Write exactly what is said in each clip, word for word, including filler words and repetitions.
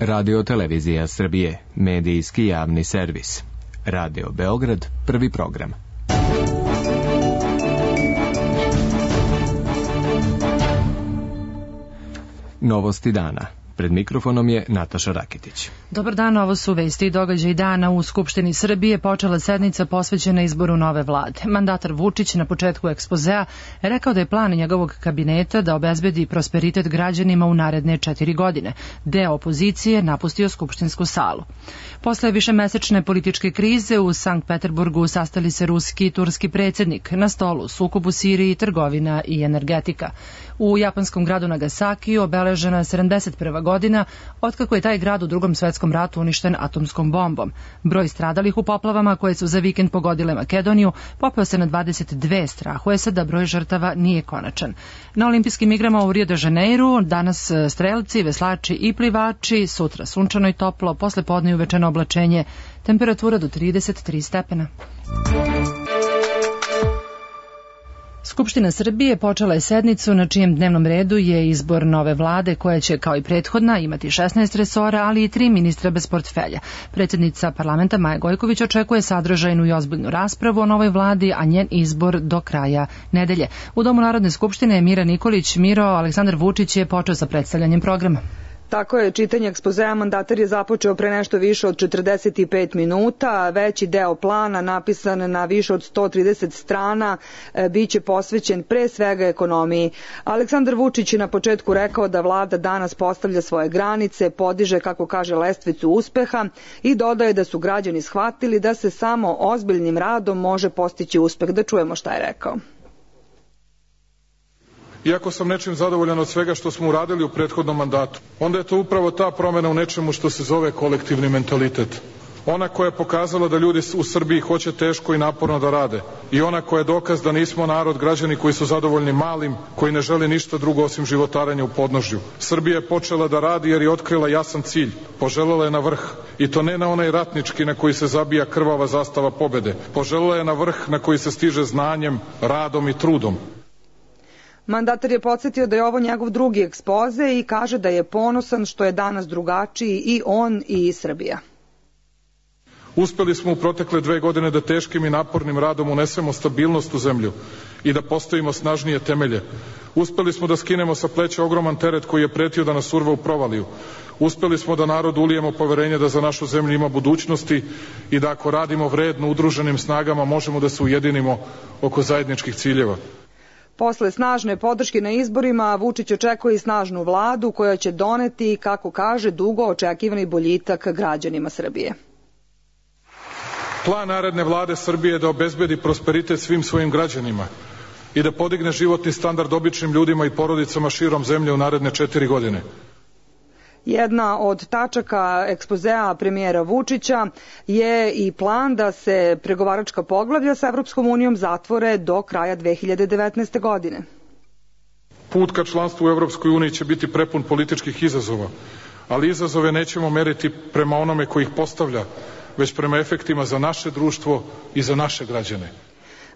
Radio Televizija Srbije, medijski javni servis. Radio Beograd, prvi program. Novosti dana. Pred mikrofonom je Nataša Rakitić. Dobar dan, ovo su vesti i događaji dana. U Skupštini Srbije počela sednica posvećena izboru nove vlade. Mandatar Vučić na početku ekspozea je rekao da je plan njegovog kabineta da obezbedi prosperitet građanima u naredne četiri godine. Deo opozicije napustio skupštinsku salu. Posle višemesečne političke krize u Sankt Peterburgu sastali se ruski i turski predsjednik. Na stolu sukob u Siriji, trgovina i energetika. U japanskom gradu Nagasaki obeležena je sedamdeset prva godina otkako je taj grad u Drugom svetskom ratu uništen atomskom bombom. Broj stradalih u poplavama koje su za vikend pogodile Makedoniju popeo se na dvadeset dve, strahuje se da broj žrtava nije konačan. Na olimpijskim igrama u Rio de Janeiru danas strelci, veslači i plivači, sutra sunčano i toplo, posle podne i uvečeno oblačenje, temperatura do trideset tri stepena. Skupština Srbije počela je sednicu na čijem dnevnom redu je izbor nove vlade koja će, kao i prethodna, imati šesnaest resora, ali i tri ministra bez portfelja. Predsjednica parlamenta Maja Gojković očekuje sadržajnu i ozbiljnu raspravu o novoj vladi, a njen izbor do kraja nedelje. U Domu Narodne skupštine je Mira Nikolić. Miro, Aleksandar Vučić je počeo sa predstavljanjem programa. Tako je, čitanje ekspozea mandatar je započeo pre nešto više od četrdeset pet minuta. Veći deo plana, napisan na više od sto trideset strana, biće posvećen pre svega ekonomiji. Aleksandar Vučić je na početku rekao da vlada danas postavlja svoje granice, podiže, kako kaže, lestvicu uspeha i dodaje da su građani shvatili da se samo ozbiljnim radom može postići uspeh. Da čujemo šta je rekao. Iako sam nečim zadovoljan od svega što smo uradili u prethodnom mandatu, onda je to upravo ta promjena u nečemu što se zove kolektivni mentalitet. Ona koja je pokazala da ljudi u Srbiji hoće teško i naporno da rade. I ona koja je dokaz da nismo narod, građani koji su zadovoljni malim, koji ne žele ništa drugo osim životarenja u podnožju. Srbija je počela da radi jer je otkrila jasan cilj. Poželela je na vrh. I to ne na onaj ratnički na koji se zabija krvava zastava pobede. Poželela je na vrh na koji se stiže znanjem, radom i trudom. Mandatar je podsjetio da je ovo njegov drugi ekspoze i kaže da je ponosan što je danas drugačiji i on i Srbija. Uspeli smo u protekle dve godine da teškim i napornim radom unesemo stabilnost u zemlju i da postavimo snažnije temelje. Uspeli smo da skinemo sa pleća ogroman teret koji je pretio da nas urva u provaliju. Uspeli smo da narodu ulijemo poverenje da za našu zemlju ima budućnosti i da ako radimo vredno udruženim snagama možemo da se ujedinimo oko zajedničkih ciljeva. Posle snažne podrške na izborima, Vučić očekuje i snažnu vladu koja će doneti, kako kaže, dugo očekivani boljitak građanima Srbije. Plan naredne vlade Srbije je da obezbedi prosperitet svim svojim građanima i da podigne životni standard običnim ljudima i porodicama širom zemlje u naredne četiri godine. Jedna od tačaka ekspozea premijera Vučića je i plan da se pregovaračka poglavlja sa Evropskom unijom zatvore do kraja dve hiljade devetnaeste. godine. Put ka članstvu u Evropskoj uniji će biti prepun političkih izazova, ali izazove nećemo meriti prema onome koji ih postavlja, već prema efektima za naše društvo i za naše građane.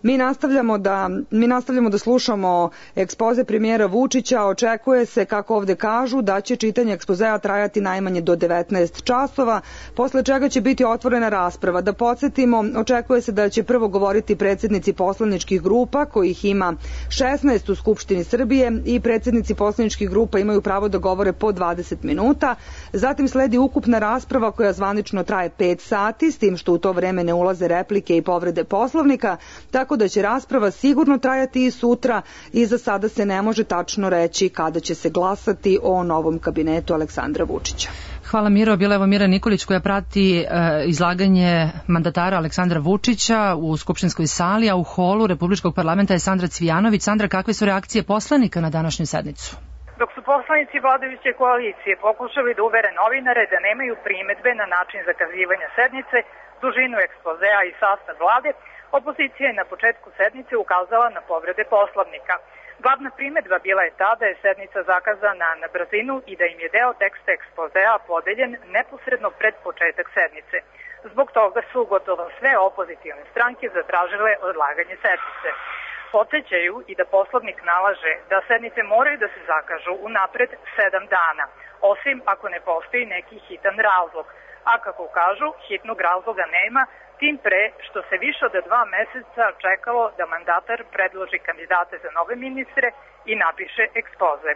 Mi nastavljamo da, mi nastavljamo da slušamo ekspoze premijera Vučića. Očekuje se, kako ovde kažu, da će čitanje ekspozea trajati najmanje do devetnaest časova, posle čega će biti otvorena rasprava. Da podsjetimo, očekuje se da će prvo govoriti predsjednici poslaničkih grupa, kojih ima šesnaest u Skupštini Srbije, i predsjednici poslaničkih grupa imaju pravo da govore po dvadeset minuta. Zatim sledi ukupna rasprava koja zvanično traje pet sati, s tim što u to vreme ne ulaze replike i povrede Poslovnika, tako da će rasprava sigurno trajati i sutra i za sada se ne može tačno reći kada će se glasati o novom kabinetu Aleksandra Vučića. Hvala, Miro. Bila je ovo Mira Nikolić koja prati e, izlaganje mandatara Aleksandra Vučića u skupštinskoj sali, a u holu Republičkog parlamenta je Sandra Cvijanović. Sandra, kakve su reakcije poslanika na današnju sednicu? Dok su poslanici vladajuće koalicije pokušali da uvere novinare da nemaju primedbe na način zakazivanja sednice, dužinu ekspozea i sastav vlade, opozicija je na početku sednice ukazala na povrede Poslovnika. Glavna primedba bila je ta da je sednica zakazana na brzinu i da im je deo teksta ekspozea podeljen neposredno pred početak sednice. Zbog toga su gotovo sve opozitivne stranke zatražile odlaganje sednice. Podsećaju i da poslovnik nalaže da sednice moraju da se zakažu unapred sedam dana, osim ako ne postoji neki hitan razlog. A kako kažu, hitnog razloga nema, tim pre što se više od dva meseca čekalo da mandatar predloži kandidate za nove ministre i napiše ekspoze.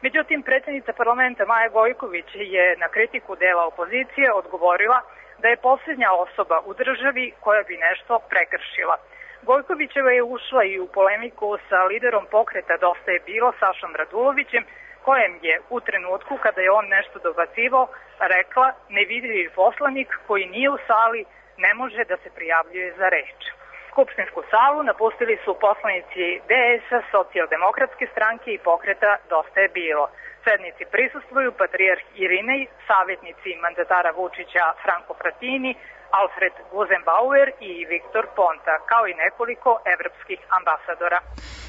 Međutim, predsjednica parlamenta Maja Gojković je na kritiku dela opozicije odgovorila da je posljednja osoba u državi koja bi nešto prekršila. Gojkovićeva je ušla i u polemiku sa liderom pokreta Dosta je bilo, Sašom Radulovićem, kojem je u trenutku kada je on nešto dobacivao rekla nevidljivi poslanik koji nije u sali ne može da se prijavljuje za reč. Skupštinsku salu napustili su poslanici D S-a, Socijaldemokratske stranke i pokreta Dosta je bilo. Sednici prisustvuju patrijarh Irinej, savjetnici mandatara Vučića Franko Fratini, Alfred Guzenbauer i Viktor Ponta, kao i nekoliko evropskih ambasadora.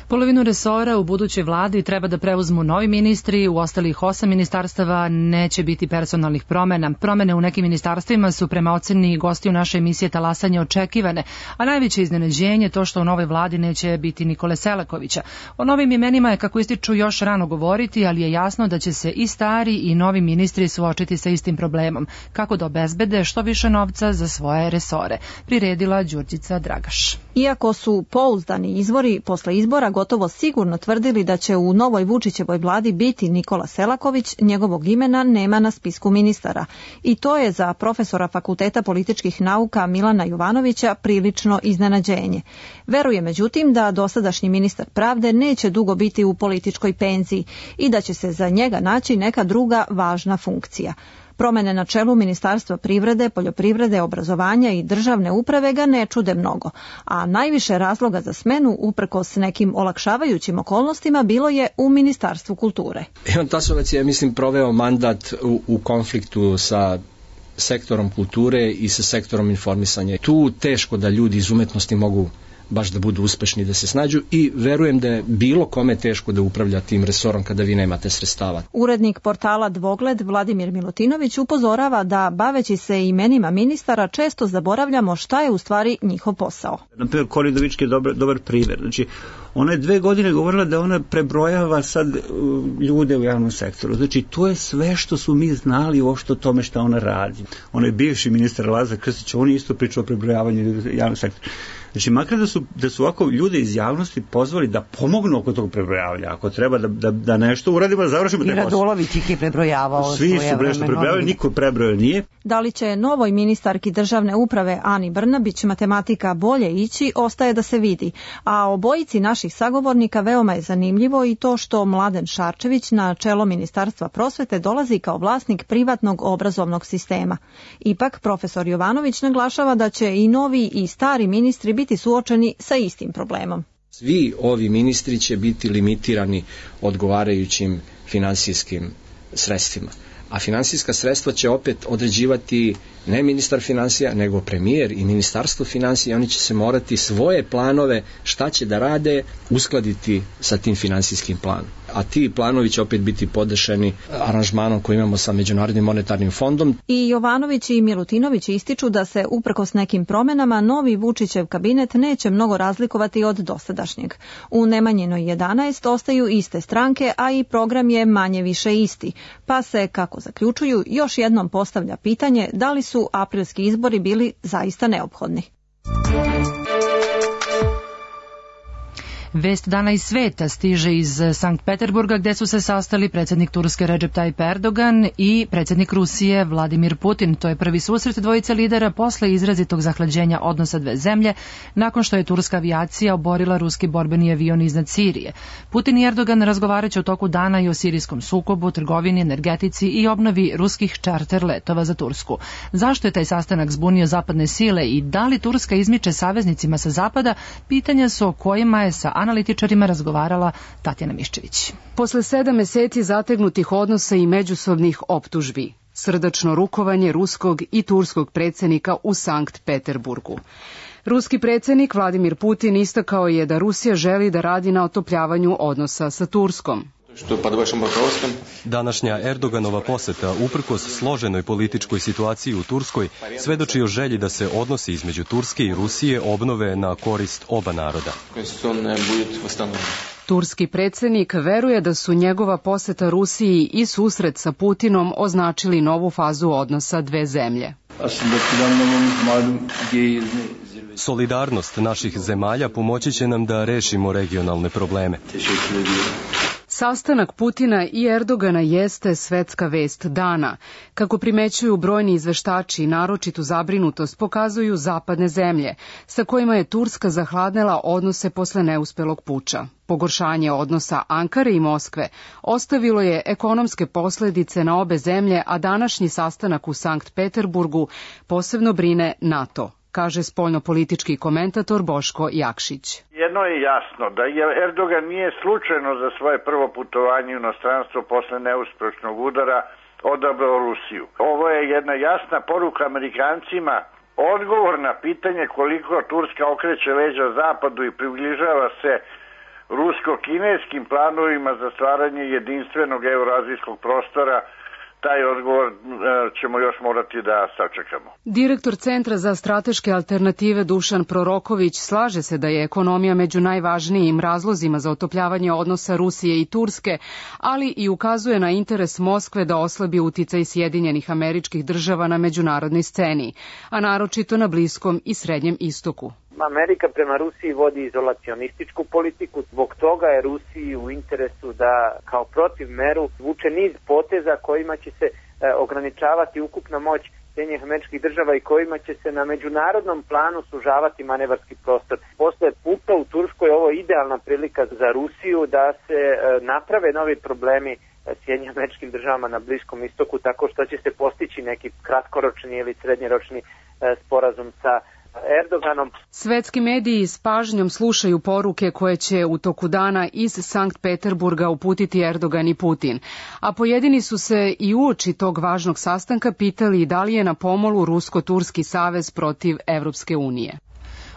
Polovinu resora u budućoj vladi treba da preuzmu novi ministri, u ostalih osam ministarstava neće biti personalnih promena. Promene u nekim ministarstvima su prema oceni gosti u našoj emisiji Talasanje očekivane, a najveće iznenađenje to što u novoj vladi neće biti Nikole Selakovića. O novim imenima je, kako ističu, još rano govoriti, ali je jasno da će se i stari i novi ministri suočiti sa istim problemom, kako da obezbede što više novca za svoje resore, priredila Đurđica Dragaš. Iako su pouzdani izvori posle izbora gotovo sigurno tvrdili da će u novoj Vučićevoj vladi biti Nikola Selaković, njegovog imena nema na spisku ministara. I to je za profesora Fakulteta političkih nauka Milana Jovanovića prilično iznenađenje. Veruje međutim da dosadašnji ministar pravde neće dugo biti u političkoj penziji i da će se za njega naći neka druga važna funkcija. Promene na čelu Ministarstva privrede, poljoprivrede, obrazovanja i državne uprave ga ne čude mnogo, a najviše razloga za smenu, uprkos nekim olakšavajućim okolnostima, bilo je u Ministarstvu kulture. Ivan Tasovac je, mislim, proveo mandat u, u konfliktu sa sektorom kulture i sa sektorom informisanja. Tu teško da ljudi iz umetnosti mogu baš da budu uspešni, da se snađu, i verujem da je bilo kome teško da upravlja tim resorom kada vi nemate sredstava. Urednik portala Dvogled Vladimir Milutinović upozorava da, baveći se imenima ministara, često zaboravljamo šta je u stvari njihov posao. Na primjer, Kori Udovički je dobar, dobar primjer. Znači, ona je dve godine govorila da ona prebrojava sad ljude u javnom sektoru. Znači, to je sve što su mi znali uopšte o tome šta ona radi. Ona je bivši ministar Lazar Krstić, on je isto pričao o prebrojavanju javnog sektora. Znači, makar da su, da su ovako ljude iz javnosti pozvali da pomognu oko tog prebrojavanja, ako treba da, da, da nešto uradimo, da završimo te posao. I Radulović ih je prebrojavao. Svi su nešto prebrojavali, niko prebrojao nije. Da li će novoj ministarki državne uprave Ani Brnabić matematika bolje ići, ostaje da se vidi. A obojici naših sagovornika veoma je zanimljivo i to što Mladen Šarčević na čelo Ministarstva prosvete dolazi kao vlasnik privatnog obrazovnog sistema. Ipak, profesor Jovanović naglašava da će i novi i stari ministri biti suočeni sa istim problemom. Svi ovi ministri će biti limitirani odgovarajućim finansijskim sredstvima. A finansijska sredstva će opet određivati ne ministar finansija, nego premijer i ministarstvo finansija. Oni će se morati svoje planove šta će da rade uskladiti sa tim finansijskim planom. A ti planovi će opet biti podešeni aranžmanom koji imamo sa Međunarodnim monetarnim fondom. I Jovanović i Milutinović ističu da se uprkos nekim promenama novi Vučićev kabinet neće mnogo razlikovati od dosadašnjeg. U Nemanjinoj jedanaest ostaju iste stranke, a i program je manje više isti. Pa se, kako zaključuju, još jednom postavlja pitanje da li su aprilski izbori bili zaista neophodni. Vest dana iz sveta stiže iz Sankt Peterburga, gde su se sastali predsjednik Turske Recep Tayyip Erdogan i predsjednik Rusije Vladimir Putin. To je prvi susret dvojice lidera posle izrazitog zahlađenja odnosa dve zemlje, nakon što je turska avijacija oborila ruski borbeni avion iznad Sirije. Putin i Erdogan razgovaraće u toku dana i o sirijskom sukobu, trgovini, energetici i obnovi ruskih čarter letova za Tursku. Zašto je taj sastanak zbunio zapadne sile i da li Turska izmiče saveznicima sa zapada, pitanja su o kojima je sa analitičarima razgovarala Tatjana Miščević. Posle sedam meseci zategnutih odnosa i međusobnih optužbi, srdačno rukovanje ruskog i turskog predsjednika u Sankt Peterburgu. Ruski predsjednik Vladimir Putin istakao je da Rusija želi da radi na otopljavanju odnosa sa Turskom. Današnja Erdoganova poseta, uprkos složenoj političkoj situaciji u Turskoj, svedoči o želji da se odnosi između Turske i Rusije obnove na korist oba naroda. Turski predsjednik veruje da su njegova poseta Rusiji i susret sa Putinom označili novu fazu odnosa dve zemlje. Solidarnost naših zemalja pomoći će nam da rešimo regionalne probleme. Sastanak Putina i Erdogana jeste svetska vest dana. Kako primećuju brojni izveštači, naročitu zabrinutost pokazuju zapadne zemlje, sa kojima je Turska zahladnela odnose posle neuspelog puča. Pogoršanje odnosa Ankare i Moskve ostavilo je ekonomske posledice na obe zemlje, a današnji sastanak u Sankt Peterburgu posebno brine NATO, kaže spoljnopolitički komentator Boško Jakšić. Jedno je jasno, da je Erdogan nije slučajno za svoje prvo putovanje u inostranstvo posle neuspešnog udara odabrao Rusiju. Ovo je jedna jasna poruka Amerikancima, odgovor na pitanje koliko Turska okreće leđa zapadu i približava se rusko-kineskim planovima za stvaranje jedinstvenog eurazijskog prostora. Taj odgovor ćemo još morati da sačekamo. Direktor Centra za strateške alternative Dušan Proroković slaže se da je ekonomija među najvažnijim razlozima za otopljavanje odnosa Rusije i Turske, ali i ukazuje na interes Moskve da oslabi uticaj Sjedinjenih Američkih Država na međunarodnoj sceni, a naročito na Bliskom i Srednjem istoku. Amerika prema Rusiji vodi izolacionističku politiku, zbog toga je Rusiji u interesu da kao protiv meru vuče niz poteza kojima će se e, ograničavati ukupna moć Sjedinjenih Američkih Država i kojima će se na međunarodnom planu sužavati manevarski prostor. Posle puča u Turskoj ovo je idealna prilika za Rusiju da se e, naprave novi problemi Sjedinjenim Američkim Državama na Bliskom istoku, tako što će se postići neki kratkoročni ili srednjeročni e, sporazum sa Erdoganom. Svetski mediji s pažnjom slušaju poruke koje će u toku dana iz Sankt Peterburga uputiti Erdogan i Putin, a pojedini su se i uoči tog važnog sastanka pitali da li je na pomolu Rusko-Turski savez protiv Evropske unije.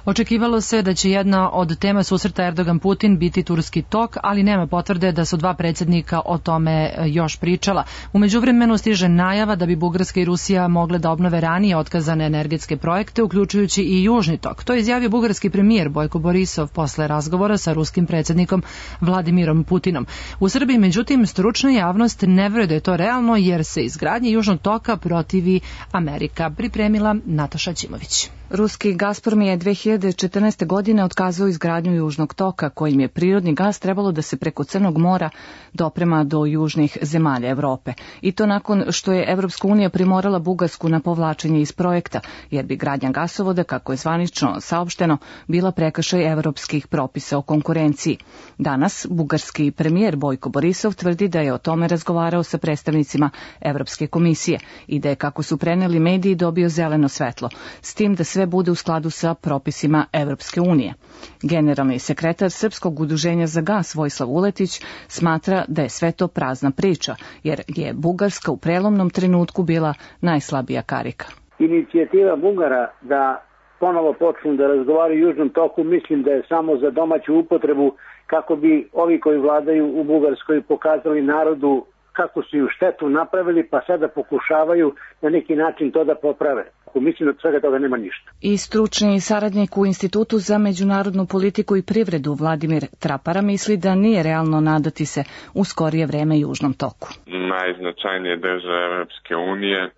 Očekivalo se da će jedna od tema susreta Erdogan-Putin biti turski tok, ali nema potvrde da su dva predsjednika o tome još pričala. U međuvremenu stiže najava da bi Bugarska i Rusija mogle da obnove ranije otkazane energetske projekte, uključujući i Južni tok. To je izjavio bugarski premijer Bojko Borisov posle razgovora sa ruskim predsjednikom Vladimirom Putinom. U Srbiji, međutim, stručna javnost ne veruje da je to realno, jer se izgradnje Južnog toka protivi Amerika. Pripremila Nataša Ćimović. Ruski Gazprom je dve hiljade četrnaeste. godine otkazao izgradnju Južnog toka, kojim je prirodni gas trebalo da se preko Crnog mora doprema do južnih zemalja Evrope. I to nakon što je Evropska unija primorala Bugarsku na povlačenje iz projekta, jer bi gradnja gasovoda, kako je zvanično saopšteno, bila prekršaj evropskih propisa o konkurenciji. Danas bugarski premijer Bojko Borisov tvrdi da je o tome razgovarao sa predstavnicima Evropske komisije i da je, kako su preneli mediji, dobio zeleno svetlo, s tim da sve bude u skladu sa propisima Evropske unije. Generalni sekretar Srpskog udruženja za gas Vojislav Uletić smatra da je sve to prazna priča, jer je Bugarska u prelomnom trenutku bila najslabija karika. Inicijativa Bugara da ponovo počnu da razgovaraju o Južnom toku, mislim da je samo za domaću upotrebu, kako bi ovi koji vladaju u Bugarskoj pokazali narodu kako su ju štetu napravili, pa sada pokušavaju na neki način to da poprave. Mislim da od svega toga nema ništa. I stručni saradnik u Institutu za međunarodnu politiku i privredu Vladimir Trapara misli da nije realno nadati se u skorije vreme Južnom toku. Najznačajnije države Evropske unije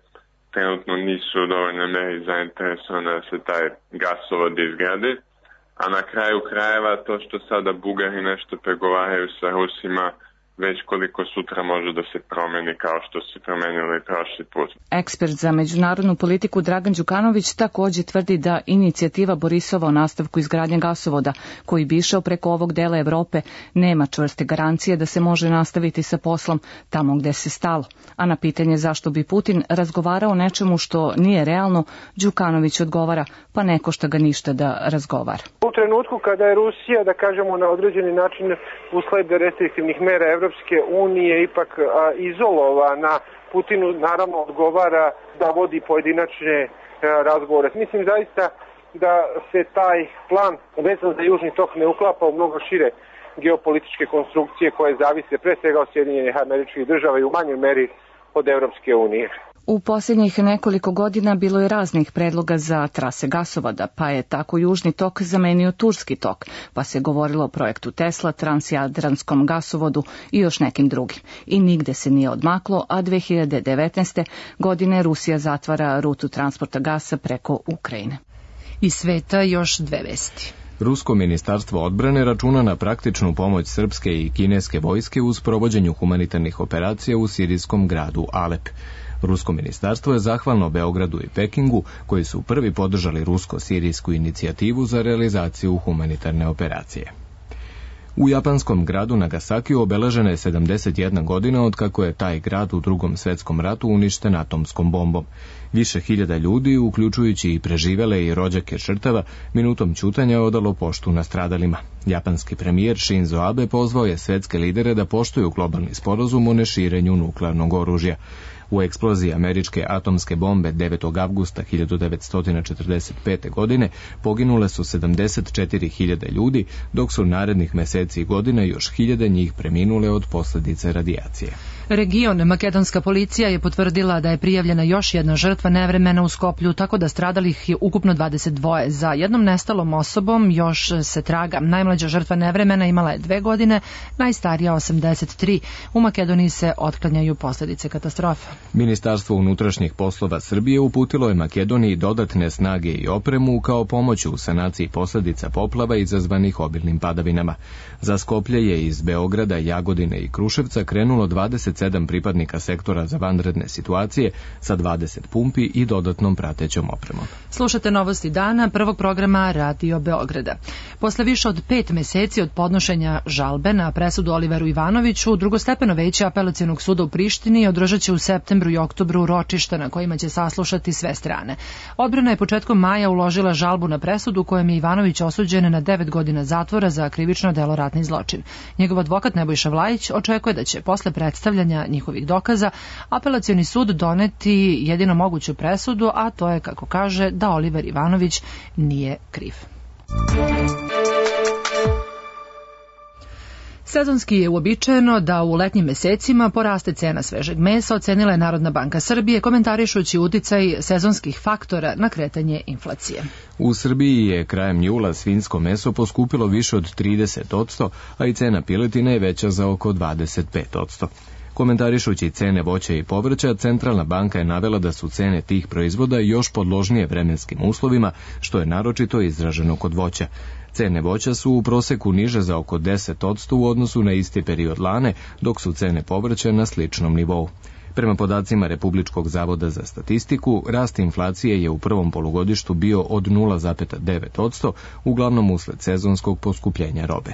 trenutno nisu u dovoljnoj meri zainteresovane da se taj gasovod izgradi, a na kraju krajeva to što sada Bugari nešto pregovaraju sa Rusima, već koliko sutra može da se promeni kao što se promenilo i prošli put. Ekspert za međunarodnu politiku Dragan Đukanović također tvrdi da inicijativa Borisova o nastavku izgradnje gasovoda, koji bi išao preko ovog dela Evrope, nema čvrste garancije da se može nastaviti sa poslom tamo gde se stalo. A na pitanje zašto bi Putin razgovarao o nečemu što nije realno, Đukanović odgovara, pa ne košta ga ništa da razgovara. U trenutku kada je Rusija, da kažemo, na određeni način usled restriktivnih mera Evropske unije ipak a, izolovana, Putinu naravno odgovara da vodi pojedinačne a, razgovore. Mislim zaista da se taj plan vezan za Južni tok ne uklapa u mnogo šire geopolitičke konstrukcije koje zavise pre svega od Sjedinjenih Američkih Država i u manjoj meri od Evropske unije. U posljednjih nekoliko godina bilo je raznih predloga za trase gasovoda, pa je tako Južni tok zamenio Turski tok, pa se govorilo o projektu Tesla, Transjadranskom gasovodu i još nekim drugim. I nigde se nije odmaklo, a dve hiljade devetnaeste. godine Rusija zatvara rutu transporta gasa preko Ukrajine. Iz sveta još dve vesti. Rusko ministarstvo odbrane računa na praktičnu pomoć srpske i kineske vojske u sprovođenju humanitarnih operacija u sirijskom gradu Alep. Rusko ministarstvo je zahvalno Beogradu i Pekingu, koji su prvi podržali rusko-sirijsku inicijativu za realizaciju humanitarne operacije. U japanskom gradu Nagasakiju obeležena je sedamdeset jedna godina od kako je taj grad u Drugom svetskom ratu uništen atomskom bombom. Više hiljada ljudi, uključujući i preživele i rođake žrtava, minutom ćutanja odalo poštu nastradalima. Japanski premijer Shinzo Abe pozvao je svetske lidere da poštuju globalni sporazum o neširenju nuklearnog oružja. U eksploziji američke atomske bombe devetog avgusta hiljadu devetsto četrdeset pete. godine poginule su sedamdeset četiri hiljade ljudi, dok su narednih meseci i godina još hiljade njih preminule od posljedice radijacije. Region makedonska policija je potvrdila da je prijavljena još jedna žrtva nevremena u Skoplju, tako da stradalih je ukupno dvadeset dva. Za jednom nestalom osobom još se traga. Najmlađa žrtva nevremena imala je dve godine, najstarija osamdeset tri. U Makedoniji se otklanjaju posljedice katastrofe. Ministarstvo unutrašnjih poslova Srbije uputilo je Makedoniji dodatne snage i opremu kao pomoć u sanaciji posljedica poplava izazvanih obilnim padavinama. Za Skoplje je iz Beograda, Jagodine i Kruševca krenulo dvadeset sedam pripadnika sektora za vanredne situacije sa dvadeset pumpi i dodatnom pratećom opremom. Slušate novosti dana prvog programa Radio Beograda. Posle više od pet meseci od podnošenja žalbe na presudu Oliveru Ivanoviću, drugostepeno veće Apelacionog suda u Prištini održat će u septembru i oktobru ročišta na kojima će saslušati sve strane. Odbrana je početkom maja uložila žalbu na presudu kojom je Ivanović osuđen na devet godina zatvora za krivično delo ratni zločin. Njegov advokat Nebojša Vlajić očekuje da će posle predstavljanja njihovih dokaza Apelacioni sud doneti jedino moguću presudu, a to je, kako kaže, da Oliver Ivanović nije kriv. Sezonski je uobičajeno da u letnjim mesecima poraste cena svežeg mesa, ocenila je Narodna banka Srbije, komentarišući uticaj sezonskih faktora na kretanje inflacije. U Srbiji je krajem jula svinjsko meso poskupilo više od trideset odsto, a i cena piletine je veća za oko dvadeset pet odsto. Komentarišući cene voća i povrća, Centralna banka je navela da su cene tih proizvoda još podložnije vremenskim uslovima, što je naročito izraženo kod voća. Cene voća su u proseku niže za oko deset odsto u odnosu na isti period lane, dok su cene povrća na sličnom nivou. Prema podacima Republičkog zavoda za statistiku, rast inflacije je u prvom polugodištu bio od nula zarez devet odsto, uglavnom usled sezonskog poskupljenja robe.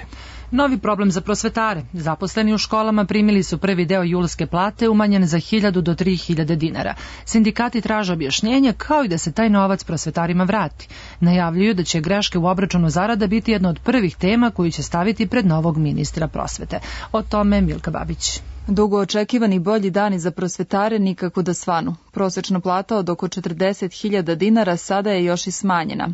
Novi problem za prosvetare. Zaposleni u školama primili su prvi deo julske plate umanjen za hiljadu do tri hiljade dinara. Sindikati traže objašnjenje kao i da se taj novac prosvetarima vrati. Najavljuju da će greške u obračunu zarada biti jedna od prvih tema koju će staviti pred novog ministra prosvete. O tome Milka Babić. Dugo očekivani bolji dani za prosvetare nikako da svanu. Prosečna plata od oko četrdeset hiljada dinara sada je još i smanjena.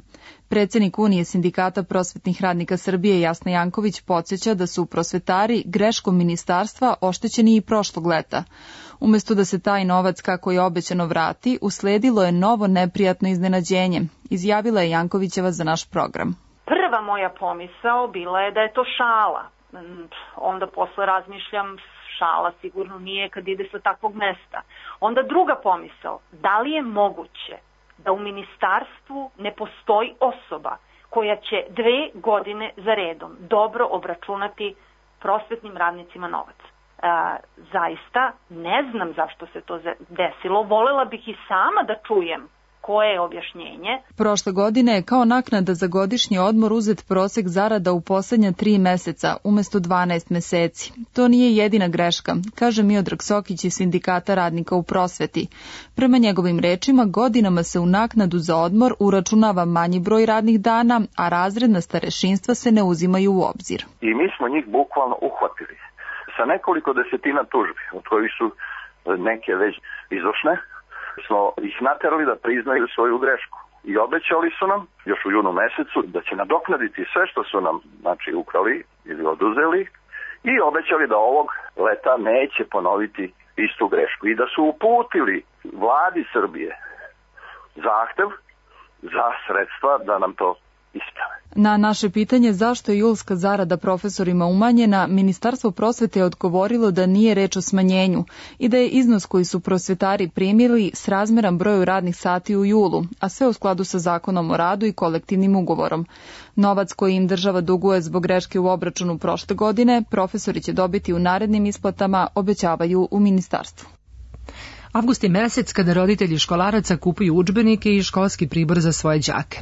Predsednik Unije sindikata prosvetnih radnika Srbije Jasna Janković podsjeća da su prosvetari greškom ministarstva oštećeni i prošlog leta. Umesto da se taj novac, kako je obećano, vrati, usledilo je novo neprijatno iznenađenje, izjavila je Jankovićeva za naš program. Prva moja pomisao bila je da je to šala. Onda posle razmišljam, šala sigurno nije kad ide sa takvog mesta. Onda druga pomisao, da li je moguće da u ministarstvu ne postoji osoba koja će dve godine za redom dobro obračunati prosvetnim radnicima novac. E, zaista ne znam zašto se to desilo, volela bih i sama da čujem koje je objašnjenje. Prošle godine je kao naknada za godišnji odmor uzet prosek zarada u poslednja tri meseca umesto dvanaest meseci. To nije jedina greška, kaže Miodrag Sokić iz sindikata radnika u prosveti. Prema njegovim rečima, godinama se u naknadu za odmor uračunava manji broj radnih dana, a razredna starešinstva se ne uzimaju u obzir. I mi smo njih bukvalno uhvatili sa nekoliko desetina tužbi, od kojih su neke već izvršne, smo ih naterali da priznaju svoju grešku. I obećali su nam, još u junu mesecu, da će nadoknaditi sve što su nam, znači, ukrali, ili oduzeli i obećali da ovog leta neće ponoviti istu grešku i da su uputili vladi Srbije zahtev za sredstva da nam to isprave. Na naše pitanje zašto je julska zarada profesorima umanjena, Ministarstvo prosvete je odgovorilo da nije reč o smanjenju i da je iznos koji su prosvetari primili srazmeran broju radnih sati u julu, a sve u skladu sa zakonom o radu i kolektivnim ugovorom. Novac koji im država duguje zbog greške u obračunu prošle godine, profesori će dobiti u narednim isplatama, obećavaju u ministarstvu. Avgust je mesec kada roditelji školaraca kupuju udžbenike i školski pribor za svoje đake.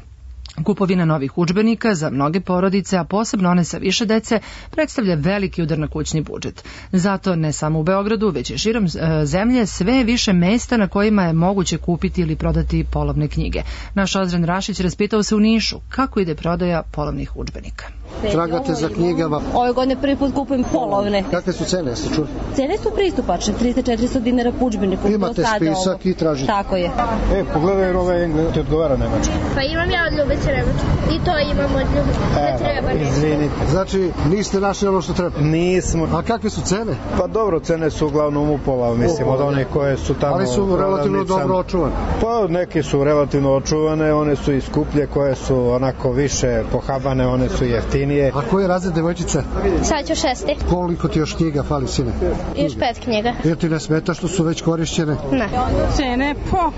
Kupovina novih udžbenika za mnoge porodice, a posebno one sa više dece, predstavlja veliki udar na kućni budžet. Zato ne samo u Beogradu, već i širom zemlje sve je više mesta na kojima je moguće kupiti ili prodati polovne knjige. Naš Ozren Rašić raspitao se u Nišu kako ide prodaja polovnih udžbenika. Tragate za knjigama? Ove godine prvi put kupujem polovne. Kakve su cene, jeste čuli? Cene su pristupačne, trista do četiristo dinara po udžbeniku. Imate spisak ovo. I tražite? Tako je. E, pogledaj jer ove ti odgovara nemački. Pa imam ja od Ljubice nemački. I to imam od Ljubice. Treba ne. Izvinite. Znači, niste našli ono što treba? Nismo. A kakve su cene? Pa dobro, cene su uglavnom upola, mislim, od onih koje su tamo... Ali su relativno dobro očuvane? Pa neke su relativno očuvane, one su i skuplje, koje su onako više pohabane, one su jeftinije. A koji je razred, devojčica? Sad ću šesti. Koliko ti još knjiga fali, sine? Još pet knjiga. Jer ti ne smeta što su već korišćene? Ne. Cene po...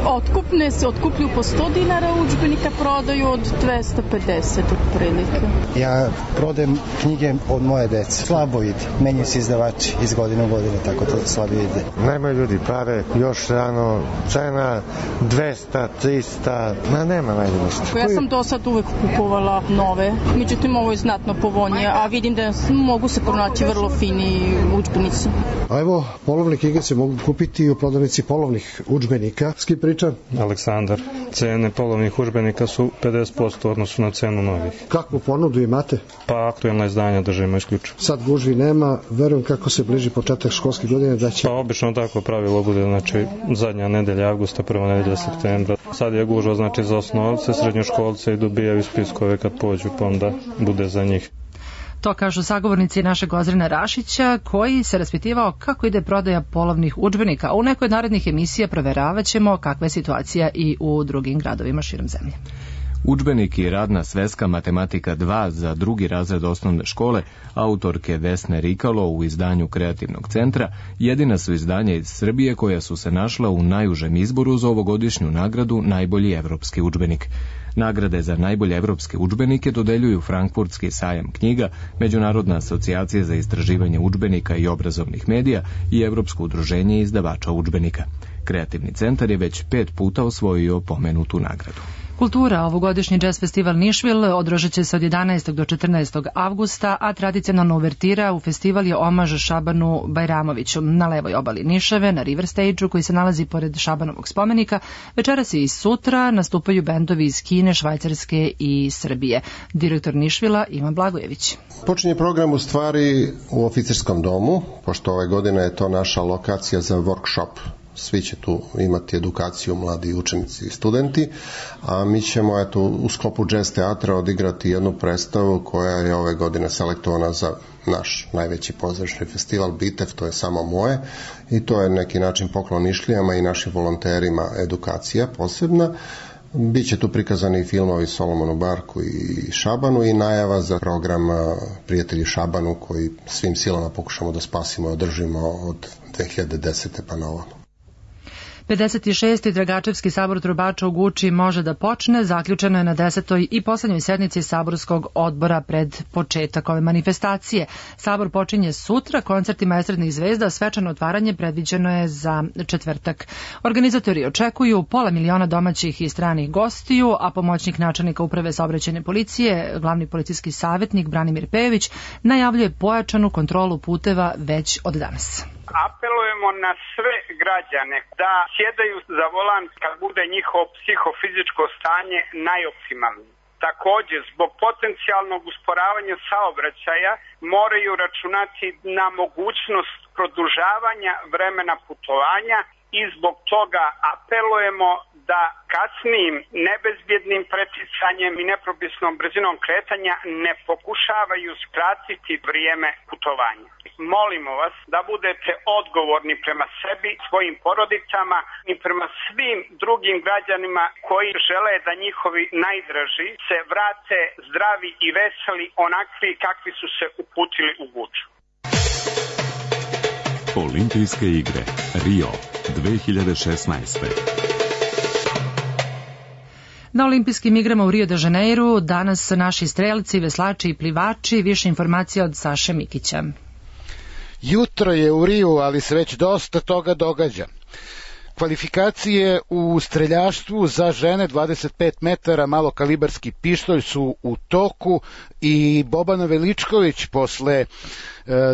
Otkupne se otkuplju po sto dinara, udžbenika prodaju od dvesta pedeset otprilike. Ja prodajem knjige od moje dece. Slabo ide. Menjaju se izdavači iz godine u godine, tako to slabo ide. Nemaju ljudi pare, još rano, cena dvesta, trista, ma nema najde ništa. Ja sam do sad uvek kupovala nove, međutim ovo je znatno povoljnije, a vidim da mogu se pronaći vrlo fini udžbenici. A evo, polovne knjige se mogu kupiti u prodavnici polovnih udžbenika. S kim pričam? Aleksandar. Cene polovnih udžbenika su pedeset posto odnosu na cenu novih. Kakvu ponudu imate? Pa aktuelna izdanja držimo isključivo. Sad gužvi nema, verujem kako se bliži početak školske godine da će... Pa obično tako pravilo bude, znači zadnja nedelja avgusta, prva nedelja septembra. Sad je gužva znači za osnovce, srednjoškolce i dobijaju spiskove kad pođu, pa onda bude za njih. To kažu sagovornici našeg Ozrena Rašića, koji se raspitivao kako ide prodaja polovnih udžbenika. A u nekoj od narednih emisija proveravat ćemo kakva je situacija i u drugim gradovima širom zemlje. Udžbenik i radna sveska matematika dva za drugi razred osnovne škole autorke Vesne Rikalo u izdanju Kreativnog centra jedina su izdanja iz Srbije koja su se našla u najužem izboru za ovogodišnju nagradu Najbolji evropski udžbenik. Nagrade za najbolje evropske udžbenike dodeljuju Frankfurtski sajam knjiga, Međunarodna asocijacija za istraživanje udžbenika i obrazovnih medija i Evropsko udruženje izdavača udžbenika. Kreativni centar je već pet puta osvojio pomenutu nagradu. Kultura, ovogodišnji jazz festival Nišvil održat će se od jedanaestog do četrnaestog avgusta, a tradicionalna uvertira u festival je omaž Šabanu Bajramoviću. Na levoj obali Nišave, na River Stage-u koji se nalazi pored Šabanovog spomenika, večeras i sutra nastupaju bendovi iz Kine, Švajcarske i Srbije. Direktor Nišvila Ivan Blagojević. Počinje program u stvari u oficerskom domu, pošto ove godine je to naša lokacija za workshop. Svi će tu imati edukaciju, mladi učenici i studenti, a mi ćemo eto, u sklopu jazz teatra odigrati jednu predstavu koja je ove godine selektovana za naš najveći pozorišni festival Bitev, to je Samo moje, i to je neki način poklon Nišlijama i našim volonterima edukacija posebna. Biće tu prikazani i filmovi Solomonu Barku i Šabanu i najava za program Prijatelji Šabanu koji svim silama pokušamo da spasimo i održimo od dve hiljade desete pa na ovamo. pedeset šesti Dragačevski sabor trubača u Guči može da počne, zaključeno je na desetoj i poslednjoj sednici saborskog odbora pred početak ove manifestacije. Sabor počinje sutra koncertima estradnih zvezda, svečano otvaranje predviđeno je za četvrtak. Organizatori očekuju pola miliona domaćih i stranih gostiju, a pomoćnik načelnika uprave saobraćajne policije, glavni policijski savjetnik Branimir Pejović, najavljuje pojačanu kontrolu puteva već od danas. Apelujemo na sve građane da sjedaju za volan kad bude njihovo psihofizičko stanje najoptimalnije. Također, zbog potencijalnog usporavanja saobraćaja moraju računati na mogućnost produžavanja vremena putovanja i zbog toga apelujemo da kasnijim nebezbjednim preticanjem i nepropisnom brzinom kretanja ne pokušavaju skratiti vrijeme putovanja. Molimo vas da budete odgovorni prema sebi, svojim porodicama i prema svim drugim građanima koji žele da njihovi najdraži se vrate zdravi i veseli onakvi kakvi su se uputili u Guču. Olimpijske igre Rio dve hiljade šesnaeste. Na olimpijskim igrama u Rio de Janeiru danas naši strelci, veslači i plivači. Više informacija od Saše Mikića. Jutro je u Riju, ali se već dosta toga događa. Kvalifikacije u streljaštvu za žene dvadeset pet metara malokalibarski pištolj su u toku i Bobana Veličković posle e,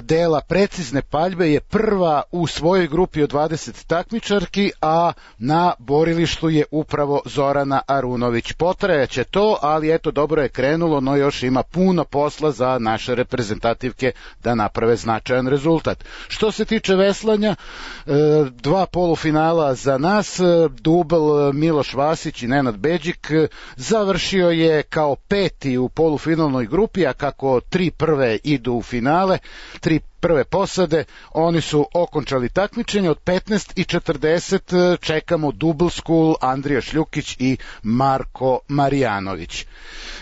dela precizne paljbe je prva u svojoj grupi od dvadeset takmičarki, a na borilištu je upravo Zorana Arunović. Potrajaće to, ali eto, dobro je krenulo, no još ima puno posla za naše reprezentativke da naprave značajan rezultat. Što se tiče veslanja, e, dva polufinala za nas, dubl Miloš Vasić i Nenad Beđik završio je kao peti u polufinalnoj grupi, a kako tri prve idu u finale, tri prve posade, oni su okončali takmičenje. Od petnaest i četrdeset čekamo Double School, Andrija Šljukić i Marko Marijanović.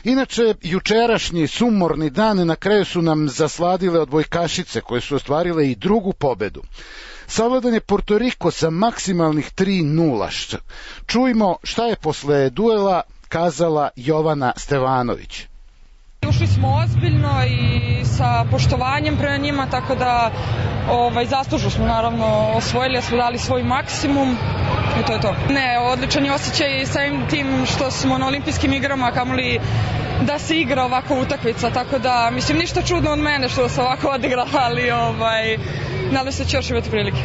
Inače, jučerašnji sumorni dan na kraju su nam zasladile odbojkašice koje su ostvarile i drugu pobedu. Savladan je Porto Riko sa maksimalnih tri nula. Čujmo šta je posle duela kazala Jovana Stevanović. Ušli smo ozbiljno i sa poštovanjem prema njima, tako da ovaj, zaslužno smo naravno osvojili, smo dali svoj maksimum i to je to. Ne, odličan je osjećaj samim tim što smo na olimpijskim igrama, kamoli da se igra ovako utakmica, tako da mislim ništa čudno od mene što se ovako odigra, ali ovaj, nadam se da će još imati prilike.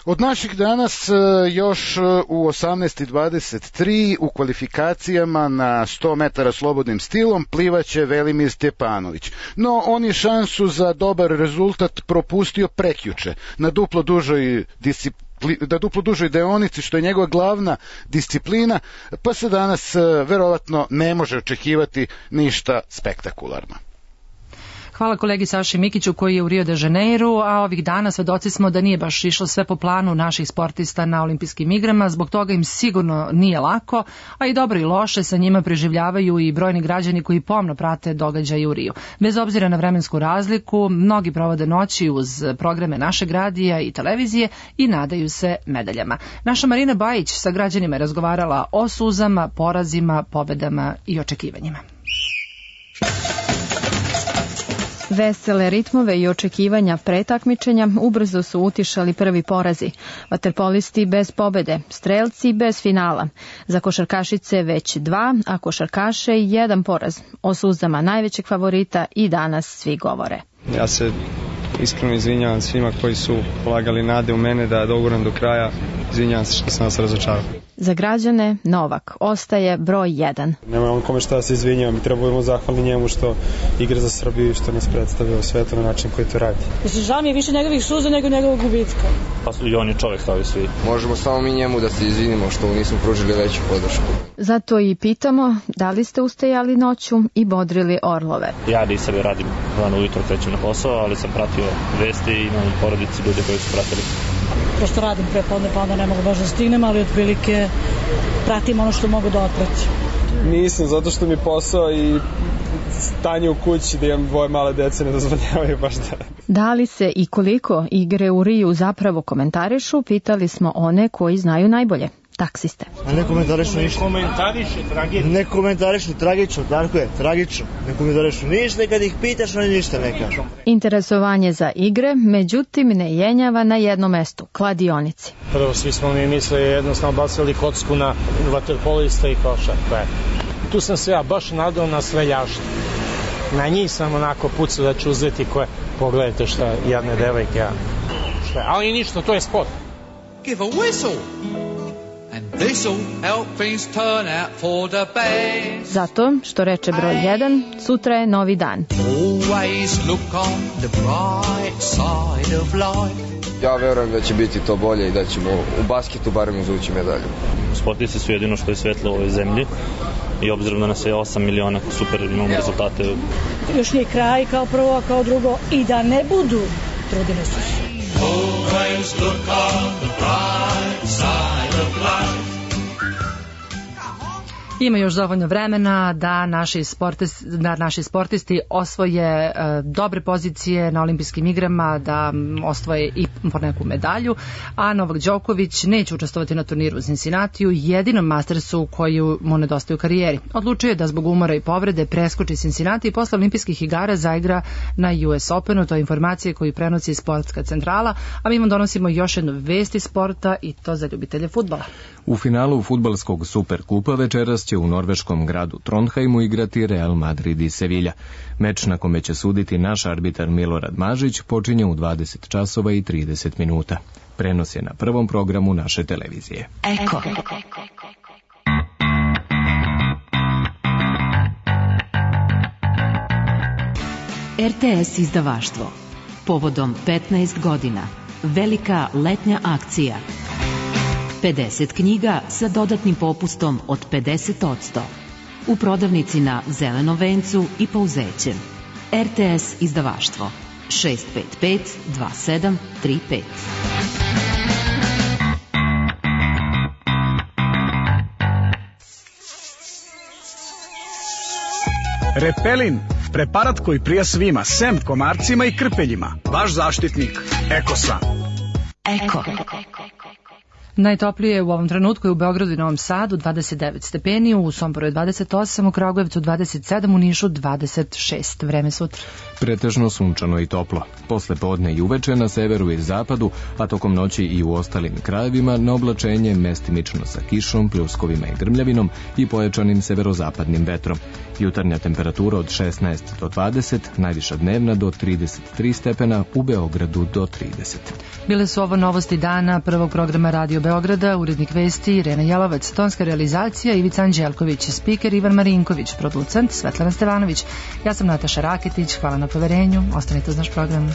Od naših danas još u osamnaest i dvadeset tri u kvalifikacijama na sto metara slobodnim stilom plivaće Velimir Stjepanović. No on je šansu za dobar rezultat propustio prekjuče na duplo dužoj disciplini, da duplo dužoj deonici, što je njegova glavna disciplina, pa se danas verovatno ne može očekivati ništa spektakularno. Hvala kolegi Saši Mikiću koji je u Rio de Janeiru, a ovih dana svedoci smo da nije baš išlo sve po planu naših sportista na olimpijskim igrama, zbog toga im sigurno nije lako, a i dobro i loše sa njima preživljavaju i brojni građani koji pomno prate događaje u Riju. Bez obzira na vremensku razliku, mnogi provode noći uz programe našeg radija i televizije i nadaju se medaljama. Naša Marina Bajić sa građanima je razgovarala o suzama, porazima, pobedama i očekivanjima. Vesele ritmove i očekivanja pre takmičenja ubrzo su utišali prvi porazi. Vaterpolisti bez pobede, strelci bez finala. Za košarkašice već dva, a košarkaše jedan poraz. O suzama najvećeg favorita i danas svi govore. Ja se iskreno izvinjavam svima koji su polagali nade u mene da doguram do kraja. Izvinjavam se što sam vas razočarao. Za građane Novak ostaje broj jedan. Nema on kome šta da se izvinjavam i trebujemo zahvalni njemu što igra za Srbiju i što nas predstavlja u svetu na način koji to radi. Mislim, žao mi je više njegovih suza nego njegovog gubitka. Pa i on je čovjek kao i svi. Možemo samo mi njemu da se izvinimo što mu nismo pružili veću podršku. Zato i pitamo da li ste ustajali noću i bodrili orlove. Ja nisam radim rano ujutro krećem na posao, ali sam pratio vesti i imam porodici ljude koji su pratili. Prosto radim prepodne pa onda ne mogu baš da stignem, ali otprilike pratim ono što mogu da otpratim. Nisam, zato što mi posao i stanje u kući da imam dvoje male dece ne dozvoljavaju baš da... Da li se i koliko igre u Riju zapravo komentarišu, pitali smo one koji znaju najbolje. Taksiste. A ne komentarišu ništa. Ne komentarišu tragično. Ne komentarišu tragično, tako je, tragično. Ne komentarišu ništa, kad ih pitaš, oni ništa ne kažu. Interesovanje za igre, međutim, ne jenjava na jednom mestu, kladionici. Prvo, svi smo mi mislili jednostavno bacili kocku na vaterpolista i košarku. Tu sam se ja baš nadao na streljaštvo. Na njih sam onako pucao da ću uzeti koje, pogledajte šta jedne devojke, ja. Šta, ali ništa, to je sport. Give a whistle. And this'll help things turn out for the best. Zato, što reče broj jedan, sutra je novi dan. Always look on the bright side of life. Ja verujem da će biti to bolje i da ćemo u basketu barem izvući medalju. Sportisti su jedino što je svetlo u ovoj zemlji i obzirom da nas je osam miliona, super imamo rezultate. Još nije kraj kao prvo, a kao drugo i da ne budu, trudili su se. Always look on the bright side of life. Ima još dovoljno vremena da naši, sportis, da naši sportisti osvoje e, dobre pozicije na olimpijskim igrama, da osvoje i po neku medalju, a Novak Đoković neće učestvovati na turniru u Cincinnatiju, jedinom Mastersu koju mu nedostaje u karijeri. Odlučio je da zbog umora i povrede preskoči Cincinnati i posle olimpijskih igara zaigra na U S Openu, to je informacije koju prenosi Sportska centrala, a mi vam donosimo još jednu vest iz sporta i to za ljubitelje fudbala. U finalu fudbalskog Superkupa večeras će u norveškom gradu Trondheimu igrati Real Madrid i Sevilla. Meč na kome će suditi naš arbitar Milorad Mažić počinje u dvadeset časova i trideset minuta. Prenos je na prvom programu naše televizije. Eko. R T S izdavaštvo. Povodom petnaest godina. Velika letnja akcija. pedeset knjiga sa dodatnim popustom od pedeset posto. U prodavnici na Zelenom vencu i Pauzećem. R T S izdavaštvo šest pet pet dva sedam tri pet. Repelin, preparat koji prija svima, sem komarcima i krpeljima. Vaš zaštitnik, Ekosan. Eko. Najtoplije u ovom trenutku je u Beogradu i Novom Sadu dvadeset devet stepeni, u Somboru je dvadeset osam, u Kragujevcu dvadeset sedam, u Nišu dvadeset šest. Vreme sutra. Pretežno sunčano i toplo. Posle podne i uveče na severu i zapadu, a tokom noći i u ostalim krajevima na oblačenje mestimično sa kišom, pljuskovima i grmljavinom i pojačanim severozapadnim vetrom. Jutarnja temperatura od šesnaest do dvadeset, najviša dnevna do trideset tri stepena, u Beogradu do trideset. Bile su ovo novosti dana prvog programa Radio Beograda, urednik vesti Irena Jalovac, tonska realizacija Ivica Anđelković, spiker Ivan Marinković, producent Svetlana Stevanović. Ja sam Nataša Raketić, hvala na poverenju, ostanite uz naš program.